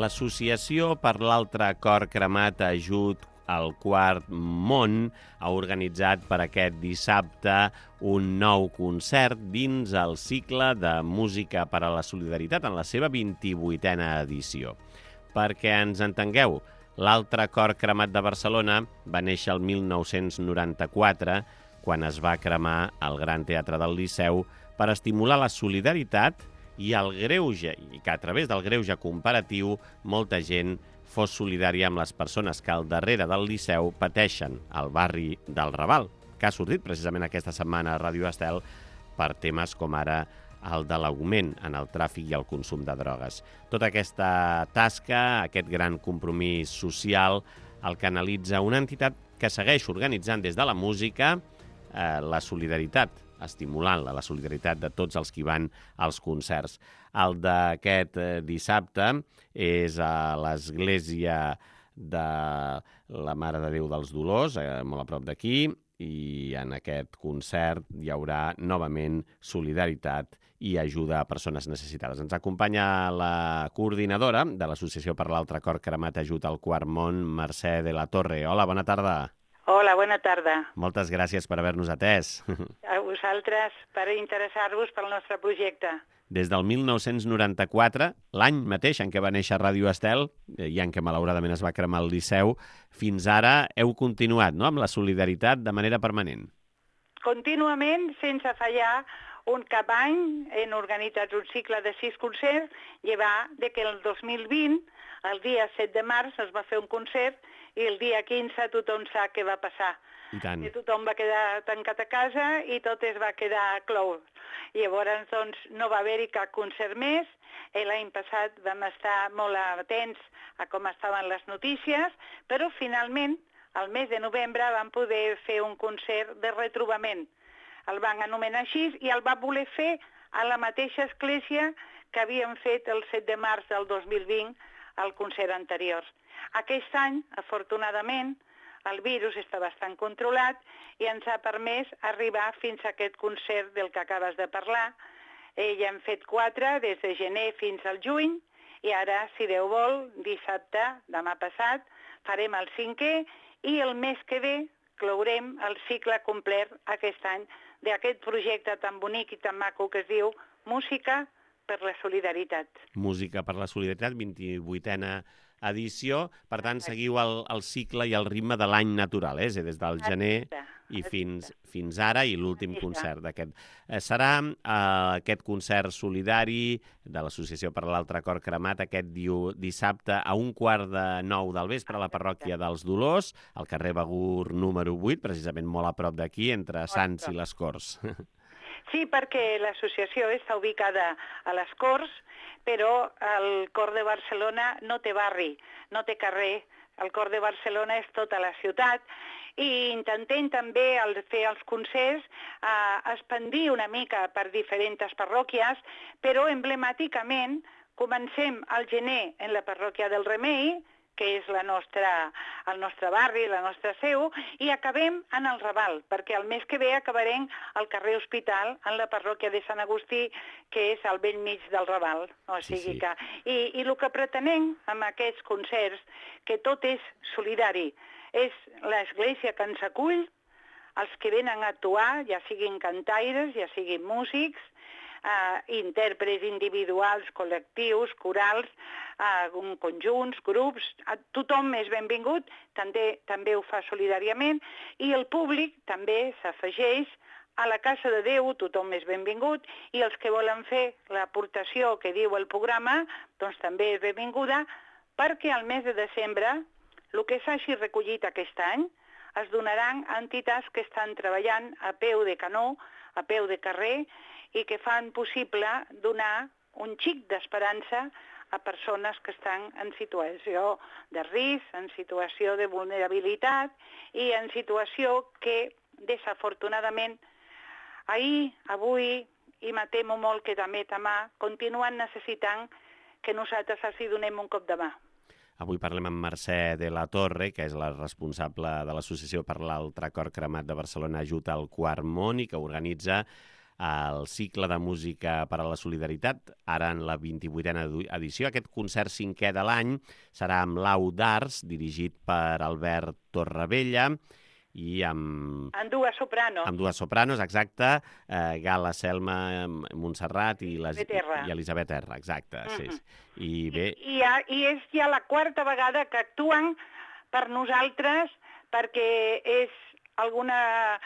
L'Associació per l'Altre Cor Cremat Ajut al Quart Món ha organitzat per aquest dissabte un nou concert dins el cicle de Música per a la Solidaritat en la seva 28a edició. Perquè ens entengueu, l'Altre Cor Cremat de Barcelona va néixer el 1994, quan es va cremar al Gran Teatre del Liceu per estimular la solidaritat i el greuge, i que a través del greuge comparatiu molta gent fos solidària amb les persones que al darrere del Liceu pateixen al barri del Raval, que ha sortit precisament aquesta setmana a Ràdio Estel per temes com ara el de l'augment en el tràfic i el consum de drogues. Tota aquesta tasca, aquest gran compromís social, el canalitza una entitat que segueix organitzant des de la música la solidaritat, estimulant-la, la solidaritat de tots els que van als concerts. El d'aquest dissabte és a l'Església de la Mare de Déu dels Dolors, molt a prop d'aquí, i en aquest concert hi haurà novament solidaritat i ajuda a persones necessitades. Ens acompanya la coordinadora de l'Associació per l'Altre Cor Cremat Ajut al Quart Món, Mercè de la Torre. Hola, bona tarda. Hola, bona tarda. Moltes gràcies per haver-nos atès. A vosaltres per interessar-vos pel nostre projecte. Des del 1994, l'any mateix en què va néixer Ràdio Estel, i en què malauradament es va cremar el Liceu, fins ara heu continuat, no?, amb la solidaritat de manera permanent. Contínuament, sense fallar, un cap any hem organitzat un cicle de 6 concerts, llevar de que el 2020, el dia 7 de març, es va fer un concert i el dia 15 tothom sap què va passar. I tant. I tothom va quedar tancat a casa i tot es va quedar clou. Llavors, doncs, no va haver-hi cap concert més. L'any passat vam estar molt atents a com estaven les notícies, però finalment, al mes de novembre, vam poder fer un concert de retrobament. El van anomenar així i el va voler fer a la mateixa església que havíem fet el 7 de març del 2020 al concert anterior. Aquest any, afortunadament, el virus està bastant controlat i ens ha permès arribar fins a aquest concert del que acabes de parlar. Ja hem fet 4 des de gener fins al juny i ara, si Déu vol, dissabte, demà passat, farem el 5è i el mes que ve clourem el cicle complet aquest any d'aquest projecte tan bonic i tan maco que es diu Música per la Solidaritat. Música per la Solidaritat, 28a edició. Per tant, seguiu el cicle i el ritme de l'any natural, des del gener i fins ara, i l'últim concert d'aquest. Serà aquest concert solidari de l'Associació per l'Altre Cor Cremat aquest dissabte a 8:45 del vespre a la parròquia dels Dolors, al carrer Begur número 8, precisament molt a prop d'aquí, entre Sants i les Corts. Sí, perquè l'associació està ubicada a les Corts, però el Cor de Barcelona no té barri, no té carrer. El Cor de Barcelona és tota la ciutat i intentem també fer els concerts expandir una mica per diferents parròquies, però emblemàticament comencem al gener en la parròquia del Remei, que és el nostre barri, la nostra seu, i acabem en el Raval, perquè el mes que ve acabarem al carrer Hospital, en la parròquia de Sant Agustí, que és al vell mig del Raval. O sigui que... I el que pretenem amb aquests concerts, que tot és solidari, és l'església que ens acull, els que venen a actuar, ja siguin cantaires, ja siguin músics, intèrprets individuals, col·lectius, corals, conjunts, grups, tothom és benvingut, també ho fa solidàriament, i el públic també s'afegeix a la Casa de Déu, tothom és benvingut, i els que volen fer l'aportació que diu el programa, doncs també és benvinguda, perquè al mes de desembre, el que s'hagi recollit aquest any, es donaran a entitats que estan treballant a peu de canó, a peu de carrer, i que fan possible donar un xic d'esperança a persones que estan en situació de risc, en situació de vulnerabilitat i en situació que, desafortunadament, ahir, avui, i me temo molt que també demà, continuen necessitant que nosaltres els donem un cop de mà. Avui parlem amb Mercè de la Torre, que és la responsable de l'Associació per l'Altre Cor Cremat de Barcelona Ajut al Quart Món i que organitza el cicle de música per a la solidaritat, ara en la 28a edició. Aquest concert 5è de l'any serà amb l'Au d'Arts, dirigit per Albert Torrevella, i amb dues sopranos. Amb dues sopranos, exacte, Gala Selma Montserrat i Elisabet R, exacte. Sí. I bé... I és ja la quarta vegada que actuen per nosaltres, perquè és alguna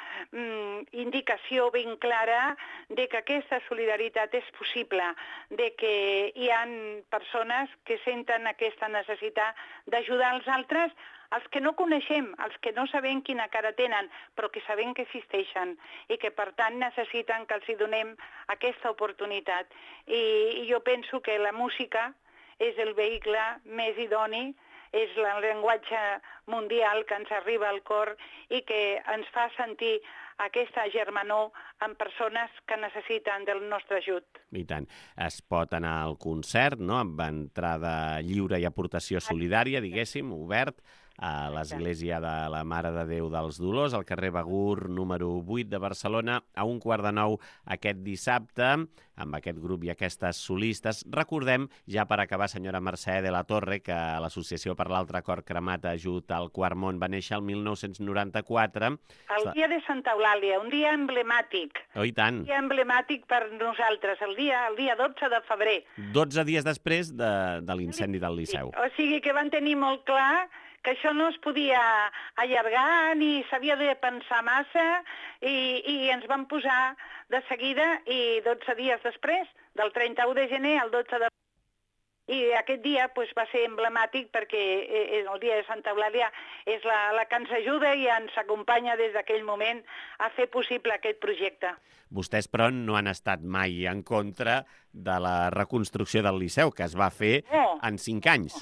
indicació ben clara de que aquesta solidaritat és possible, de que hi ha persones que senten aquesta necessitat d'ajudar els altres, els que no coneixem, els que no sabem quina cara tenen, però que sabem que existeixen i que, per tant, necessiten que els hi donem aquesta oportunitat. I jo penso que la música és el vehicle més idoni, és el llenguatge mundial que ens arriba al cor i que ens fa sentir aquesta germanor amb persones que necessiten del nostre ajut. I tant. Es pot anar al concert, no?, amb entrada lliure i aportació solidària, diguéssim, obert, a l'Església de la Mare de Déu dels Dolors, al carrer Begur, número 8 de Barcelona, a 8:45 aquest dissabte, amb aquest grup i aquestes solistes. Recordem, ja per acabar, senyora Mercè de la Torre, que l'Associació per l'Altre Cor Cremat Ajut al Quart Món va néixer el 1994. El dia de Santa Eulàlia, un dia emblemàtic. Oh, i tant. Un dia emblemàtic per nosaltres, el dia 12 de febrer. 12 dies després de l'incendi del Liceu. O sigui que van tenir molt clar que això no es podia allargar ni s'havia de pensar massa i ens vam posar de seguida i 12 dies després, del 31 de gener al 12 de... I aquest dia va ser emblemàtic perquè el dia de Santa Eulàlia és la que ens ajuda i ens acompanya des d'aquell moment a fer possible aquest projecte. Vostès, però, no han estat mai en contra de la reconstrucció del Liceu, que es va fer en 5 anys.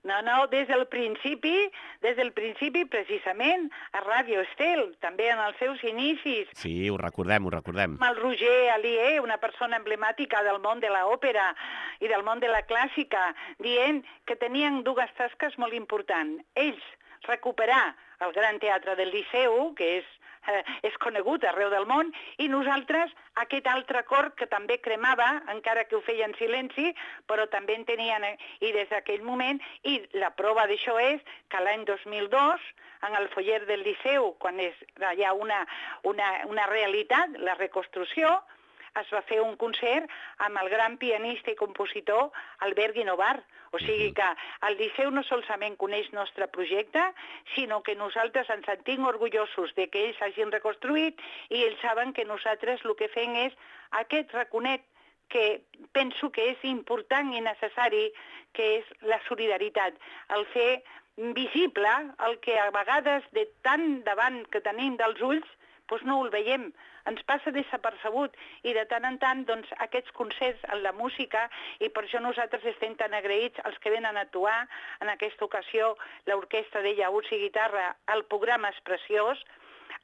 No, des del principi, precisament, a Ràdio Estel, també en els seus inicis. Sí, ho recordem. Amb el Roger Alier, una persona emblemàtica del món de l'òpera i del món de la clàssica, dient que tenien dues tasques molt importants. Ells, recuperar el Gran Teatre del Liceu, que és conegut arreu del món, i nosaltres aquest altre cor que també cremava, encara que ho feia en silenci, però també en tenien, i des d'aquell moment, i la prova d'això és que l'any 2002, en el foller del Liceu, quan hi ha una realitat, la reconstrucció, es va fer un concert amb el gran pianista i compositor Albert Guinovar. O sigui que el Liceu no solament coneix el nostre projecte, sinó que nosaltres ens sentim orgullosos de que ells hagin reconstruït i ells saben que nosaltres el que fem és aquest raconet que penso que és important i necessari, que és la solidaritat. El fer visible el que a vegades de tant davant que tenim dels ulls doncs no ho veiem, ens passa desapercebut i de tant en tant aquests concerts en la música, i per això nosaltres estem tan agraïts als que venen a actuar. En aquesta ocasió l'orquestra de llaüts i guitarra, el programa és preciós,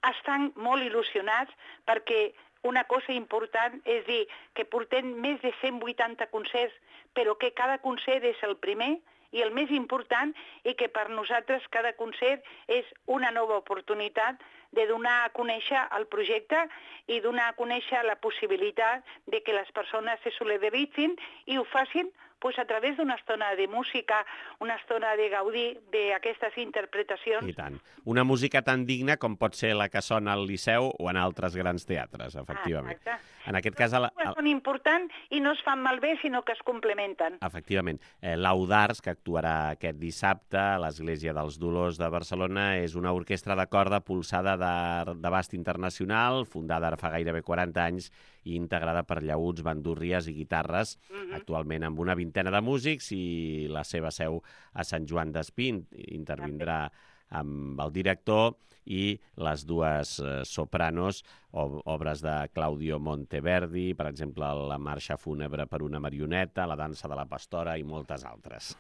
estan molt il·lusionats perquè una cosa important és dir que portem més de 180 concerts, però que cada concert és el primer i el més important, i que per nosaltres cada concert és una nova oportunitat de donar a conèixer el projecte i donar a conèixer la possibilitat de que les persones se solidaritzin i ho facin a través d'una estona de música, una estona de gaudir d'aquestes interpretacions. I tant. Una música tan digna com pot ser la que sona al Liceu o en altres grans teatres, efectivament. Exacte. En aquest cas... Són importants i no es fan malbé, sinó que es complementen. Efectivament. L'Au d'Arts, que actuarà aquest dissabte a l'Església dels Dolors de Barcelona, és una orquestra de corda pulsada d'abast internacional, fundada ara fa gairebé 40 anys i integrada per llaüts, bandúrries i guitarres, actualment amb una vintena de músics, i la seva seu a Sant Joan d'Espí. Intervindrà amb el director i les dues sopranos, obres de Claudio Monteverdi, per exemple, la marxa fúnebre per una marioneta, la dansa de la pastora i moltes altres.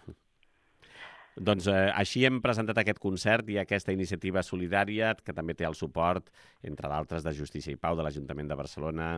Doncs així hem presentat aquest concert i aquesta iniciativa solidària que també té el suport, entre d'altres, de Justícia i Pau, de l'Ajuntament de Barcelona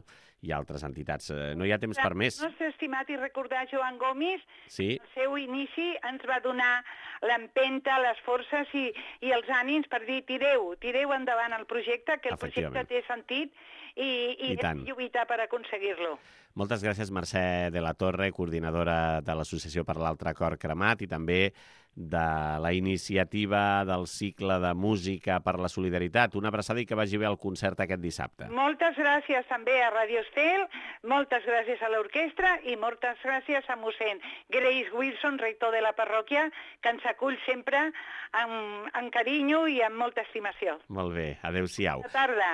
i altres entitats. No hi ha temps per més. El nostre estimat i recordar Joan Gomis, Sí. al seu inici ens va donar l'empenta, les forces i els ànims per dir tireu endavant el projecte, que el projecte té sentit i hem de lluitar per aconseguir-lo. Moltes gràcies, Mercè de la Torre, coordinadora de l'Associació per l'Altre Cor Cremat i també de la iniciativa del cicle de música per la solidaritat. Una abraçada i que vagi bé el concert aquest dissabte. Moltes gràcies també a Radio Estel, moltes gràcies a l'orquestra i moltes gràcies a mossèn Grace Wilson, rector de la parròquia, que ens acull sempre amb carinyo i amb molta estimació. Molt bé, adéu-siau. Bona tarda.